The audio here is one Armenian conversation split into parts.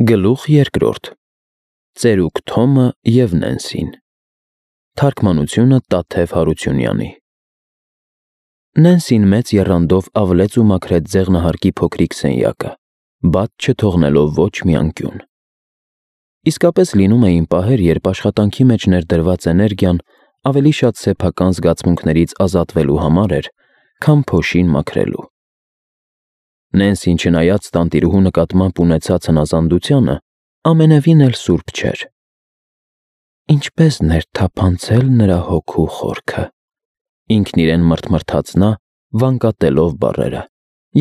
Գլուխ երկրորդ Ծերուկ Թոմը և Նենսին Թարգմանությունը Տաթև Հարությունյանի Նենսին մեծ եռանդով ավլեց ու մաքրեց ձեղնահարկի փոքրիկ սենյակը, բաց չթողնելով ոչ մի անկյուն։ Իսկապես լինում էին պահեր, երբ աշխատանքի մեջ ներդրված էներգիան ավելի շատ սեփական զգացմունքներից ազատվելու համար էր, քան փոշին մաքրելու։ Նենսին, չնայած տանտիրուհու նկատմամբ ունեցած հնազանդությանը, ամենևին էլ սուրբ չէր։ Ինչպես ներթափանցել նրա հոգու խորքը, ինքն իրեն մրթմրթաց նա, վանկատելով բառերը,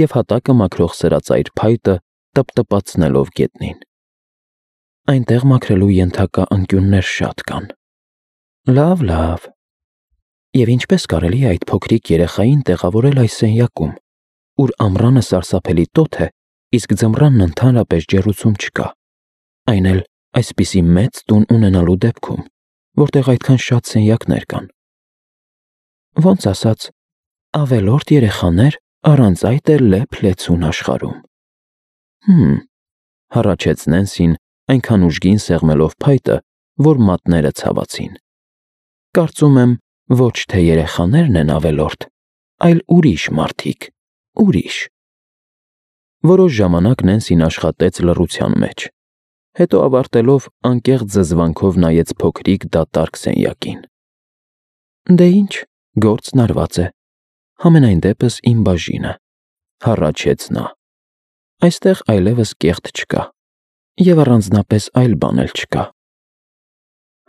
և հատակը մաքրող սրածայր փայտը տպտպացնելով գետնին։ Այնտեղ մաքրելու ենթակա անկյուններ շատ կան։ Լավ, և ինչպես կարելի է այդ փոքրիկ երեխային տեղավորել այս սենյակում, ուր ամռանը սարսափելի տոթ է, իսկ ձմռանն ընդհանրապես ջեռուցում չկա, այն էլ այսպիսի մեծ տուն ունենալու դեպքում, որտեղ այդքան շատ սենյակներ կան։ Ոնց ասած, ավելորդ երեխաներ առանց այդ էլ լեփ-լեցուն աշխարհում։ Հառաչեց Նենսին, այնքան ուժգին սեղմելով փայտը, որ մատները ցավացին։ Կարծում եմ, ոչ թե երեխաներն են ավելորդ, այլ ուրիշ մարդիկ, ուրիշ։ Որոշ ժամանակ Նենսին աշխատեց լռության մեջ, հետո ավարտելով անկեղծ զզվանքով նայեց փոքրիկ դատարկ սենյակին։ Դե ինչ, գործն արված է, համենայն դեպս իմ բաժինը, հառաչեց նա։ Այստեղ այլևս կեղտ չկա, և առանձնապես այլ բան էլ չկա։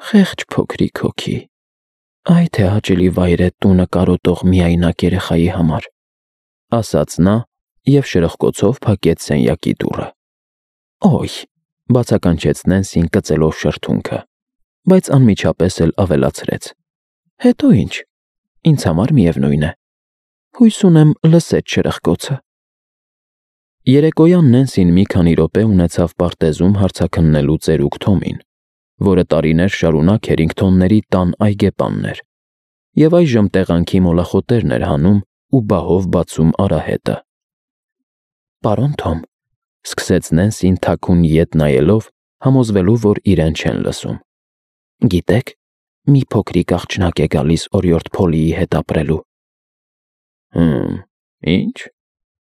Խեղճ փոքրիկ հոգի, այ թե հաճելի վայր է տունը կարոտող միայնակ երեխայի համար, ասաց նա և շրխկոցով փակեց սենյակի դուռը։ Օյ, բացականչեց Նենսին կծելով շրթունքը, բայց անմիջապես էլ ավելացրեց. Հետո ինչ, ինձ համար միևնույն է, հույս ունեմ լսեց շրխկոցը։ Երեկոյան Նենսին մի քանի րոպե ունեցավ պարտեզում հարցաքննելու ծերուկ Թոմին, որը տարիներ շարունակ Հերինգթոնների տան այգեպանն էր, և այժմ տեղանքի մոլախոտերն էր հանում ու բահով բացում արահետը։ Պարոն Թոմ, սկսեց Նենսին թաքուն ետ նայելով, համոզվելու, որ իրեն չեն լսում։ Գիտեք, մի փոքրիկ աղջնակ է գալիս օրիորդ Փոլիի հետ ապրելու։ Ինչ,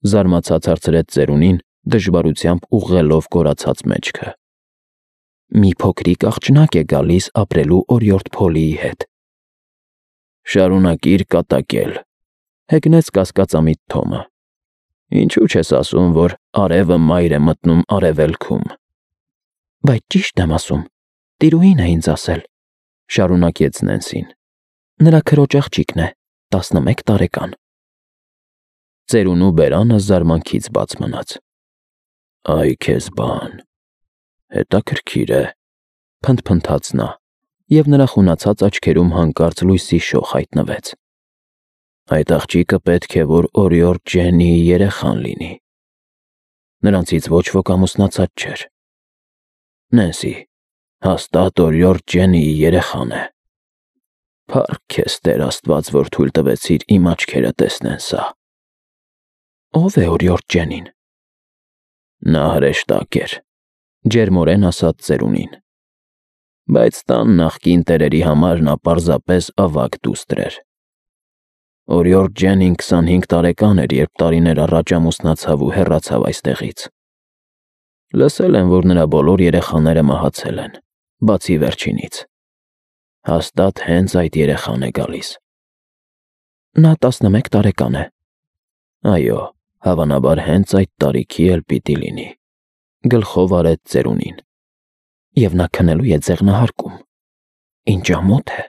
զարմացած հարցրեց ծերունին, դժվարությամբ ուղղելով կորացած մեջքը։ Մի փոքրիկ աղջնակ է գալիս ապրելու օրիորդ Փոլիի հետ։ Շարունակիր կատակել, հեգնեց կասկածամիտ Թոմը։ Ինչու չես ասում, որ արևը մայր է մտնում արևելքում։ Բայց ճիշտ եմ ասում, տիրուհին է ինձ ասել, շարունակեց Նենսին։ Նրա քրոջ աղջիկն է, 11 տարեկան։ Ծերունու բերանը զարմանքից բաց մնաց։ Այ քեզ բան, հետաքրքիր է, փնթփնթաց նա, և նրա խունացած աչքերում հանկարծ լույսի շող հայտնվեց։ Այդ աղջիկը պետք է, որ օրիորդ Ջեննիի երեխան լինի։ Նրանցից ոչ ոք ամուսնացած չէր։ Նենսի, հաստատ օրիորդ Ջեննիի երեխան է։ Փառք քեզ Տեր Աստված, որ թույլ տվեցիր իմ աչքերը տեսնեն սա։ Ո՞վ է օրիորդ Ջենին։ Նա հրեշտակ էր, ջերմորեն ասաց ծերունին։ Բայց տան նախկին տերերի համար նա պարզապես ավագ դուստր էր։ Օրիորդ Ջենին 25 տարեկան էր, երբ տարիներ առաջ ամուսնացավ ու հեռացավ այստեղից։ Լսել եմ, որ նրա բոլոր երեխաները մահացել են, բացի վերջինից։ Հաստատ հենց այդ երեխան է գալիս։ Նա 11 տարեկան է։ Այո, հավանաբար հենց այդ տարիքի էլ պիտի լինի, գլխով արեց ծերունին։ Եվ նա քնելու է ձեղնահարկում։ Ինչ ամոթ է,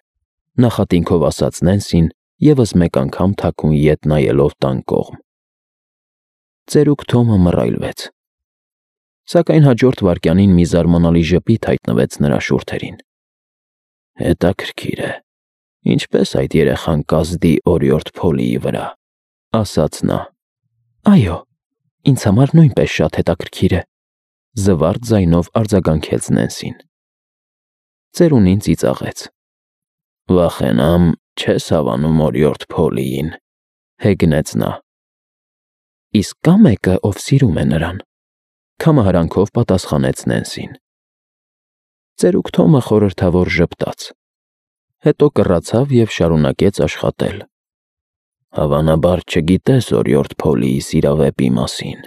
նախատինքով ասաց Նենսին, ևս մեկ անգամ թաքուն ետ նայելով տան կողմ։ Ծերուկ Թոմը մռայլվեց։ Սակայն հաջորդ վայրկյանին մի զարմանալի ժպիտ հայտնվեց նրա շուրթերին։ Հետաքրքիր է, ինչպես այդ երեխան կազդի օրիորդ Փոլիի վրա, ասաց նա։ Այո, ինձ համար նույնպես շատ հետաքրքիր է, զվարթ ձայնով արձագանքեց Նենսին։ Ծերունին ծիծաղեց։ Վախենամ, չես հավանում օրիորդ Փոլիին, հեգնեց նա։ Իսկ կա մեկը, ով սիրում է նրան, Քամահարանքով պատասխանեց Նենսին։ Ծերուկ Թոմը խորհրդավոր ժպտաց, հետո կռացավ և շարունակեց աշխատել։ Հավանաբար չգիտես օրիորդ Փոլիի սիրավեպի մասին,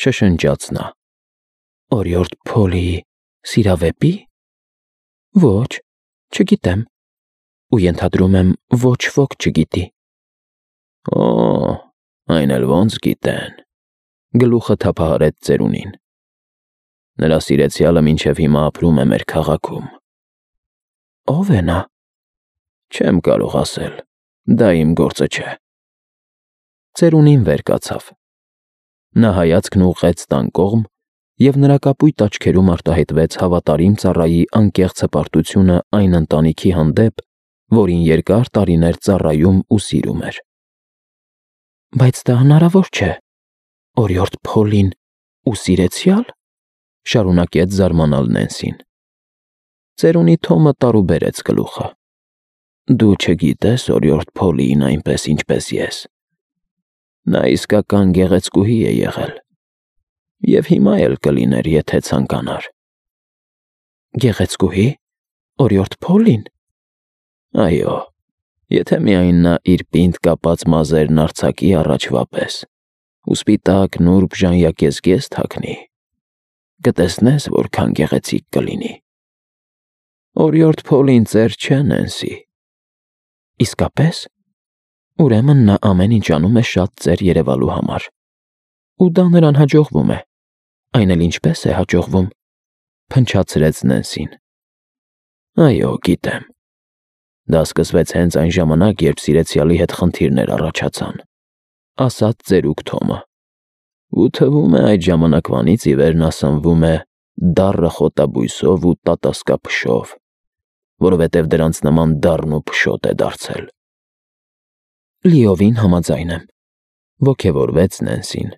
շշնջաց նա։ Օրիորդ Փոլիի սիրավեպի։ Ոչ, չգիտեմ, ու ենթադրում եմ ոչ ոք չգիտի։ Օ, այն էլ ոնց գիտեն, գլուխը թափահարեց ծերունին։ Նրա սիրեցյալը մինչև հիմա ապրում է մեր քաղաքում։ Ո՞վ է նա։ Չեմ կարող ասել, դա իմ գործը չէ։ Ծերունին վեր կացավ։ Նա հայացքն ուղղեց տան կողմ, և նրա կապույտ աչքերում արտահայտվեց հավատարիմ ծառայի անկեղծ հպարտությունը այն ընտանիքի հանդեպ, որին երկար տարիներ ծառայում ու սիրում էր։ Բայց դա հնարավոր չէ։ Օրիորդ Փոլին ու սիրեցյալ, շարունակեց զարմանալ Նենսին։ Ծերունի Թոմը տարուբերեց գլուխը։ Դու չգիտես օրիորդ Փոլիին այնպես, ինչպես ես։ Նա իսկական գեղեցկուհի է եղել, և հիմա էլ կլիներ, եթե ցանկանար։ Գեղեցկուհի, օրիորդ Փոլին։ Այո, եթե միայն նա իր պինդ կապած մազերն արձակի առաջվա պես, ու սպիտակ նուրբ ժանյակեզգեզ թաքնի, կտեսնես որքան գեղեցիկ կլինի։ Օրիորդ Փոլին ծեր չէ, Նենսի։ Իսկապես։ Ուրեմն նա ամեն ինչ անում է շատ ծեր երևալու համար։ Ու դա նրան հաջողվում է։ Այն էլ ինչպես է հաջողվում, փնչացրեց Նենսին։ Այո, գիտեմ։ Դա սկսվեց հենց այն ժամանակ, երբ սիրեցյալի հետ խնդիրներ առաջացան, ասաց ծերուկ Թոմը։ Ու թվում է այդ ժամանակվանից ի վեր նա սնվում է դառը խոտաբույսով ու տատասկափշով, որովհետև դրանց նման դառն ու փշոտ է դարձել։ Լիովին համաձայն եմ, ոգևորվեց Նենսին։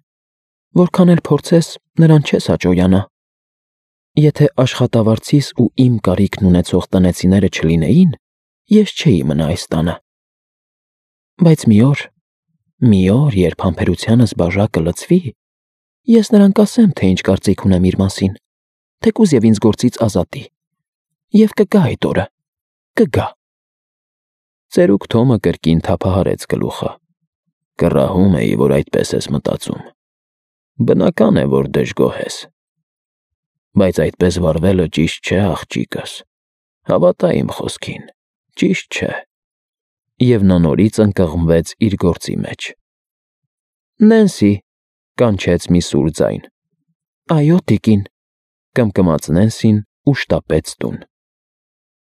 Որքան էլ փորձես, նրան չես հաջողանա։ Եթե աշխատավարձիս ու իմ կարիքն ունեցող տնեցիները չլինեին, ես չէի մնա այս տանը։ Բայց մի օր, երբ համբերությանս բաժակը լցվի, ես նրան կասեմ, թե ինչ կարծիք ունեմ իր մասին, թեկուզ և ինձ գործից ազատի։ Եվ կգա այդ օրը, կգա։ Ծերուկ Թոմը կրկին թափահարեց գլուխը։ Կռահում էի, որ այդպես ես մտածում։ Բնական է, որ դժգոհ ես։ Բայց այդպես վարվելը ճիշտ չէ, աղջիկս։ Հավատա իմ խոսքին, ճիշտ չէ։ Եվ նա նորից ընկղմվեց իր գործի մեջ։ Նենսի, կանչեց մի սուր ձայն։ Այո, տիկին, կմկմաց Նենսին ու շտապեց տուն։